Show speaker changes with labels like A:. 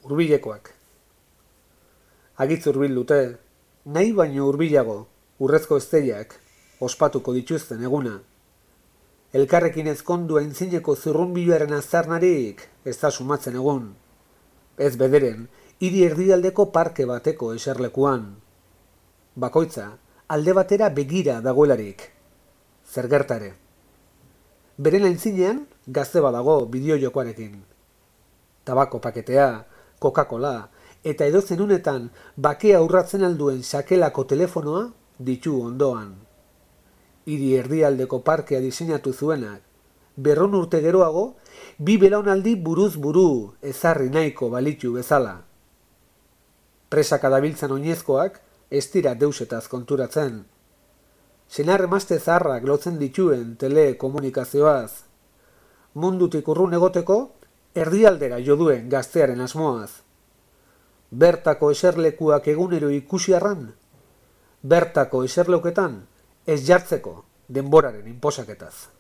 A: hurbilekoak. Agitz hurbil dute, nahi baino hurbilago, urrezko esteiak, ospatuko dituzten eguna. Elkarrekin ezkondu aintzineko zurrunbiloaren aztarnarik ez da sumatzen egun. Ez bederen, hiri erdialdeko parke bateko eserlekuan. Bakoitza, alde batera begira dagoelarik. Zer gertare. Beren aintzinean, gazte badago bideojokoarekin. Tabako paketea, Coca-Cola, eta edozen unetan bakea urratzen alduen sakelako telefonoa ditu ondoan. Hiri erdialdeko parkea diseinatu zuenak, 100 urte geroago, 2 belaunaldi buruz buru ezarri nahiko balitu bezala. Presaka dabiltzan oinezkoak ez dira deusetaz konturatzen. Senar emazte zaharrak lotzen dituen telekomunikazioaz. Mundutik urrun egoteko, erdialdera jo duen gaztearen asmoaz. Bertako eserlekuak egunero ikusi arran, bertako eserleuketan ez jartzeko denboraren inposaketaz.